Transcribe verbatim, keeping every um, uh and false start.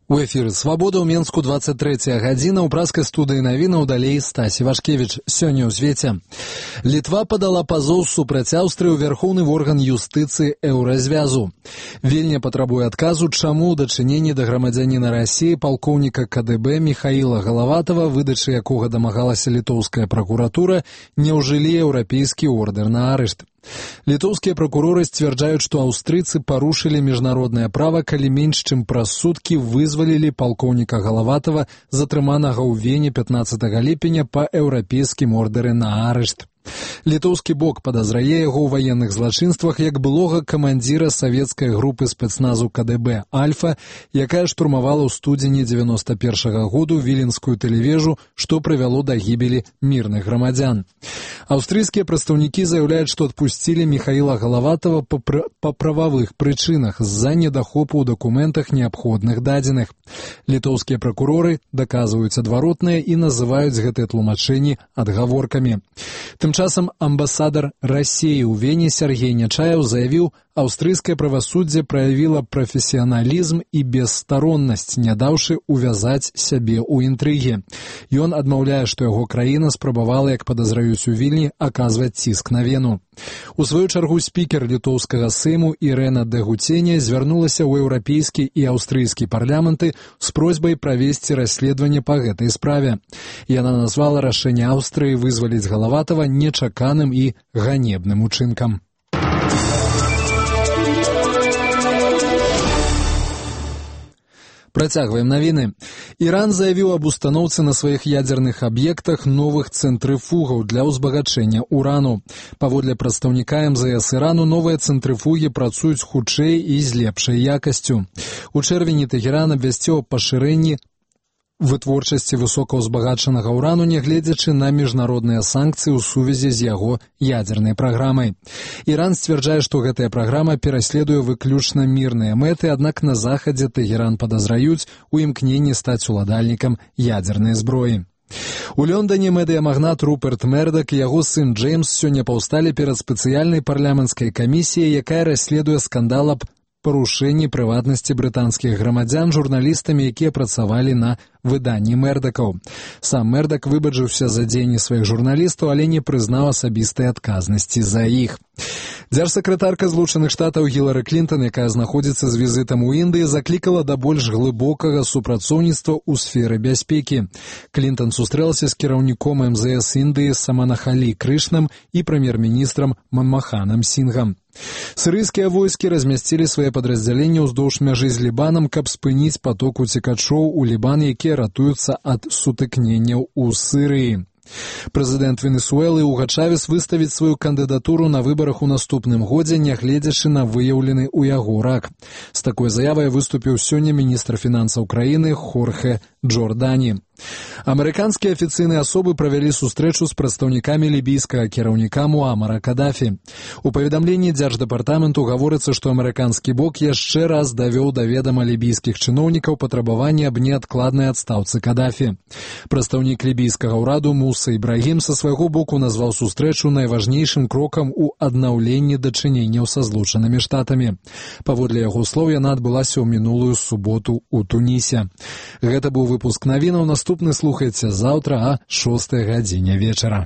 У эфіры «Свабода» ў Менску двадцать третья гадзіна, ў праскай студыі навінаў далей Стасі Вашкевіч. Сёння ў звеце. Літва падала пазоў супраць Аўстрыі ў вярхоўны орган юстыцыі Еўразвязу. Вільня патрабуе адказу, чаму ў дачыненні да грамадзяніна Расіі палкоўніка ка дэ бэ Міхаіла Галаватава, выдачы якога дамагалася літоўская пракуратура, не ўжылі еўрапейскі ордэр на арышт. Літоўскія пракуроры сцвярджаюць, што аўстрыйцы парушылі міжнароднае права, калі менш чым праз суткі вызвалілі палкоўніка Галаватава, затрыманага ў Вене пятнаццатага ліпеня па еўрапейскім ордэры на арышт. Літоўскі бок падазрае яго ў ваенных злачынствах як былога камандзіра савецкай групы спецназу ка дэ бэ «Альфа», якая штурмавала ў студзені девяносто першага году віленскую тэлевежу, што прывяло да гібелі мірных грамадзян. Аўстрыйскія прадстаўнікі заяўляюць, што адпусцілі Міхаіла Галаватава па, пр... па прававых прычынах з-за недахопу ў дакументах неабходных дадзеных. Літоўскія пракуроры даказваюць адваротнае і называюць гэтыя тлумачэнні адгаворкамі. Тым часам амбасадар Расіі ў Вене Сергей Нячаев заявіў, аўстрыйскае правасуддзе праявіла прафесіяналізм і бесстароннасць, не даўшы увязаць сябе ў інтрыгі. Ён адмаўляе, што яго краіна спрабавала, як падазраюць у Вільні, аказваць ціск на Вену. У сваю чаргу спікер літоўскага сейму Ірэна Дэгуцене звярнулася ў еўрапейскі і аўстрыйскі парламенты з просьбай правесці расследаванне па гэтай справе. Яна назвала рашэнне Аўстрыі вызваліць Галаватава нечаканым і ганебным учынкам. Працягваем навіны. Іран заявіў аб устаноўцы на сваіх ядзерных аб'ектах новых цэнтрыфугаў для ўзбагачэння урану. Паводле прадстаўніка эм зэ эс Ірану, новыя цэнтрыфугі працуюць хутчэй і з лепшай якасцю. У чэрвені Тэхеран абвясціў аб пашырэнні вытворчасці высокаўзбагачанага ўрану, нягледзячы на міжнародныя санкцыі ў сувязі з яго ядзернай праграмай. Іран сцвярджае, што гэтая праграма пераследуе выключна мірныя мэты, аднак на захадзе Тэхеран падазраюць у імкненні стаць уладальнікам ядзернай зброі. У Лондоне медыямагнат Руперт Мердак і яго сын Джеймс сёння паўсталі перад спецыяльнай парламенцкай камісіяй, якая расследуе скандал аб парушэнні прыватнасці брытанскіх грамадзян журналістамі, якія працавалі на выданні Мердакаў. Сам Мердак выбаджыўся за дзеянні сваіх журналістаў, але не прызнаў асабістай адказнасці за іх. Дзяржсакратарка Злучаных Штатаў Гілары Клінтон, якая знаходзіцца з візітам у Індыі, заклікала да больш глыбокага супрацоўніцтва ў сферы бяспекі. Клінтон сустрэлася з кіраўніком эм зэ эс Індыі Саманахалі Крышнам і прэм'ер-міністрам Манмаханам Сінгам. Сірыйскія войскі размясцілі свае падраздзяленні ўздоўж мяжы з Лібанам, каб спыніць поток уцекачоў у Лібан, якія ратуюцца ад сутыкненняў у Сірыі. Прэзідэнт Венесуэлы Уга Чавес выставіць сваю кандыдатуру на выбарах у наступным годзе, нягледзячы на выяўлены ў яго рак. З такой заявай выступіў сёння міністр фінансаў краіны Хорхе Джордані. Амерыканскія афіцыйныя асобы правялі сустрэчу з прадстаўнікамі лібійскага кіраўніка Муамара Кадафі. У паведамленні дзярждэпартаменту гаворыцца, што амерыканскі бок яшчэ раз давёў да ведама лібійскіх чыноўнікаў патрабаванне аб неадкладнай адстаўцы Кадафі. Прадстаўнік лібійскага ўраду Муса Ібрагім са свайго боку назваў сустрэчу найважнейшым крокам у аднаўленні дачыненняў са Злучанымі Штатамі. Паводле яго слоў, яна адбылася ў мінулую суботу ў Тунісе. Гэта быў выпуск навінаў. Наступны слухайце заўтра а шостай гадзіне вечара.